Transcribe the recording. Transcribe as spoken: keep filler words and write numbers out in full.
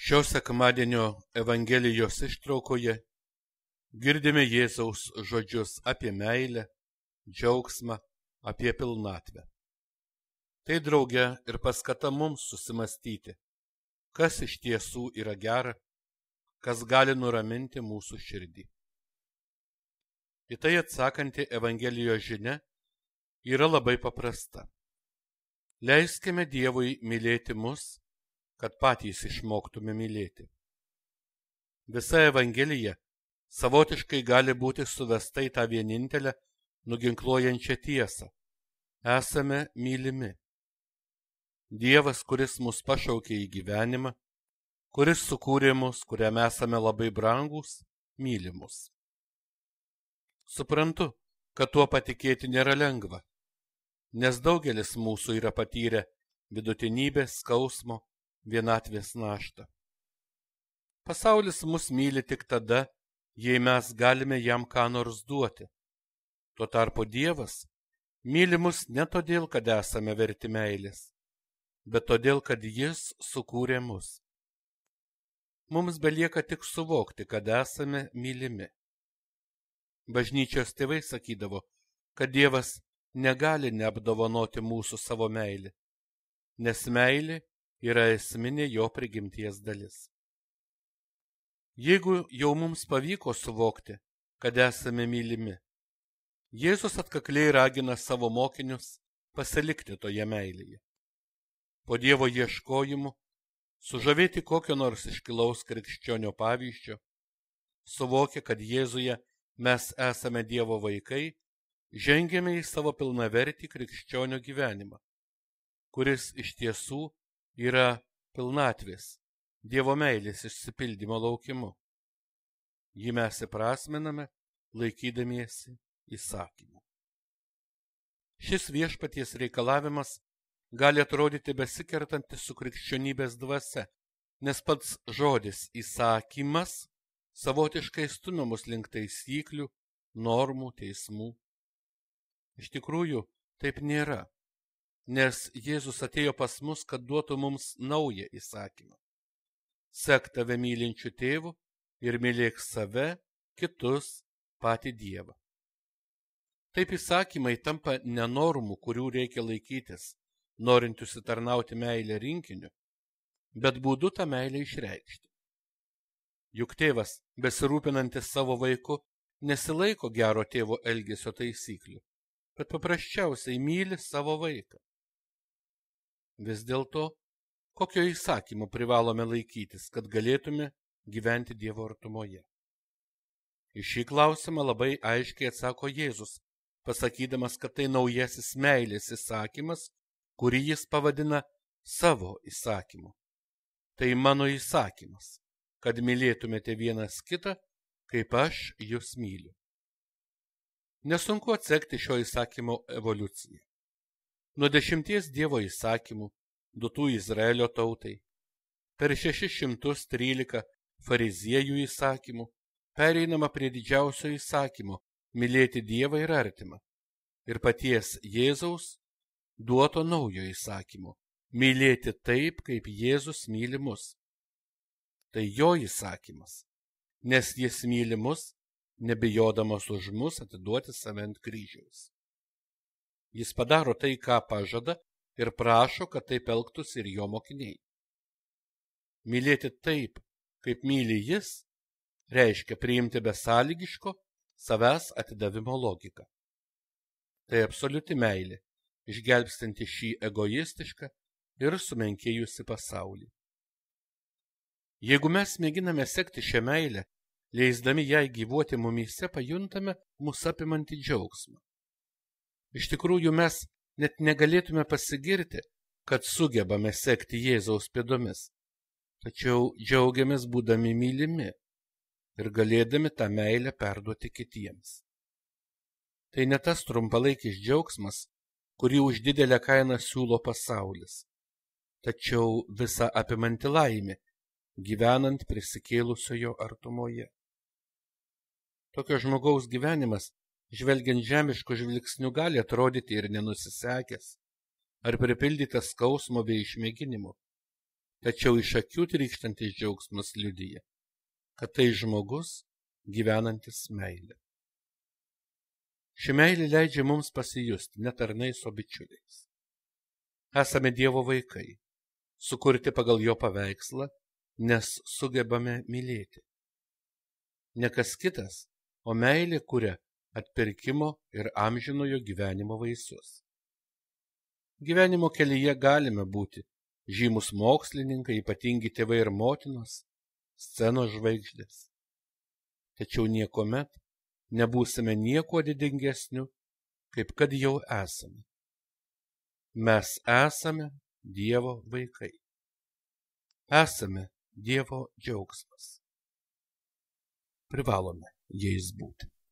Šio sekmadienio Evangelijos ištraukoje girdime Jėzaus žodžius apie meilę, džiaugsmą, apie pilnatvę. Tai drauge ir paskata mums susimastyti, kas iš tiesų yra gera, kas gali nuraminti mūsų širdį. Į tai atsakanti Evangelijos žinia yra labai paprasta. Leiskime Dievui mylėti mus, kad patys išmoktume mylėti. Visa Evangelija savotiškai gali būti suvesta į tą vienintelę nuginkluojančią tiesą. Esame mylimi. Dievas, kuris mus pašaukė į gyvenimą, kuris sukūrė mus, kuriam esame labai brangūs, myli mus. Suprantu, kad tuo patikėti nėra lengva, nes daugelis mūsų yra patyrę vidutinybės, skausmo, vienatvės naštą. Pasaulis mus myli tik tada, jei mes galime jam ką nors duoti. Tuo tarpu Dievas myli mus ne todėl, kad esame verti meilės, bet todėl, kad Jis sukūrė mus. Mums belieka tik suvokti, kad esame mylimi. Bažnyčios tėvai sakydavo, kad Dievas negali neapdovanoti mūsų savo meilę, nes meilė yra esminė jo prigimties dalis. Jeigu jau mums pavyko suvokti, kad esame mylimi, Jėzus atkakliai ragina savo mokinius pasilikti toje meilėje. Po Dievo ieškojimų, sužavėti kokio nors iškilaus krikščionio pavyzdžio, suvokę, kad Jėzuje mes esame Dievo vaikai, žengėme į savo pilnavertį krikščionio gyvenimą, kuris iš tiesų yra pilnatvės, Dievo meilės išsipildymo laukimu. Jį mes įprasminame, laikydamiesi įsakymų. Šis viešpaties reikalavimas gali atrodyti besikertantis su krikščionybės dvasia, nes pats žodis įsakymas savotiškai stumia mus link taisyklių, normų, teismų. Iš tikrųjų, taip nėra. Nes Jėzus atėjo pas mus, kad duotų mums naują įsakymą. Sek tave mylinčiu tėvu ir mylėk save, kitus, patį Dievą. Taip įsakymai tampa ne normų, kurių reikia laikytis, norint užsitarnauti meilę rinkiniu, bet būdu tą meilę išreikšti. Juk tėvas, besirūpinantis savo vaiku, nesilaiko gero tėvo elgesio taisyklių, bet paprasčiausiai myli savo vaiką. Vis dėlto, kokio įsakymo privalome laikytis, kad galėtume gyventi Dievo artumoje? Į šį klausimą labai aiškiai atsako Jėzus, pasakydamas, kad tai naujasis meilės įsakymas, kurį jis pavadina savo įsakymu. Tai mano įsakymas, kad mylėtumėte vienas kitą, kaip aš jūs myliu. Nesunku atsekti šio įsakymo evoliuciją. Nuo dešimties Dievo įsakymų, duotų Izraelio tautai, per šešis šimtus trylika fariziejų įsakymų, pereinama prie didžiausio įsakymo – mylėti Dievą ir artimą, ir paties Jėzaus duoto naujo įsakymo – mylėti taip, kaip Jėzus myli mus. Tai jo įsakymas, nes jis myli mus, nebijodamas už mus atiduoti save ant kryžiaus. Jis padaro tai, ką pažada, ir prašo, kad taip elgtųsi ir jo mokiniai. Mylėti taip, kaip myli jis, reiškia priimti besąlygiško savęs atidavimo logiką. Tai absoliuti meilė, išgelbstinti šį egoistišką ir sumenkėjusi pasaulį. Jeigu mes mėginame sekti šią meilę, leisdami jai gyvuoti mumyse, pajuntame mus apimantį džiaugsmą. Iš tikrųjų, mes net negalėtume pasigirti, kad sugebame sekti Jėzaus pėdomis, tačiau džiaugiamės būdami mylimi ir galėdami tą meilę perduoti kitiems. Tai ne tas trumpalaikis džiaugsmas, kurį už didelę kainą siūlo pasaulis, tačiau visa apimanti laimė, gyvenant prisikėlusiojo artumoje. Tokio žmogaus gyvenimas, žvelgiant žemiško žvilgsniu, gali atrodyti ir nenusisekęs, ar pripildytas skausmo bei išmėginimų. tačiau iš akių trykštantis džiaugsmas liudija, kad tai žmogus gyvenantis meilę. Ši meilė leidžia mums pasijusti ne tarnais, o bičiuliais. Esame Dievo vaikai, sukurti pagal jo paveikslą, nes sugebame mylėti. Ne kas kitas, o meilė kuria atpirkimo ir amžinojo gyvenimo vaisius. Gyvenimo kelyje galime būti žymus mokslininkai, ypatingi tėvai ir motinos, scenos žvaigždės. Tačiau niekuomet nebūsime nieko didingesniu, kaip kad jau esame. Mes esame Dievo vaikai. Esame Dievo džiaugsmas. Privalome jais būti.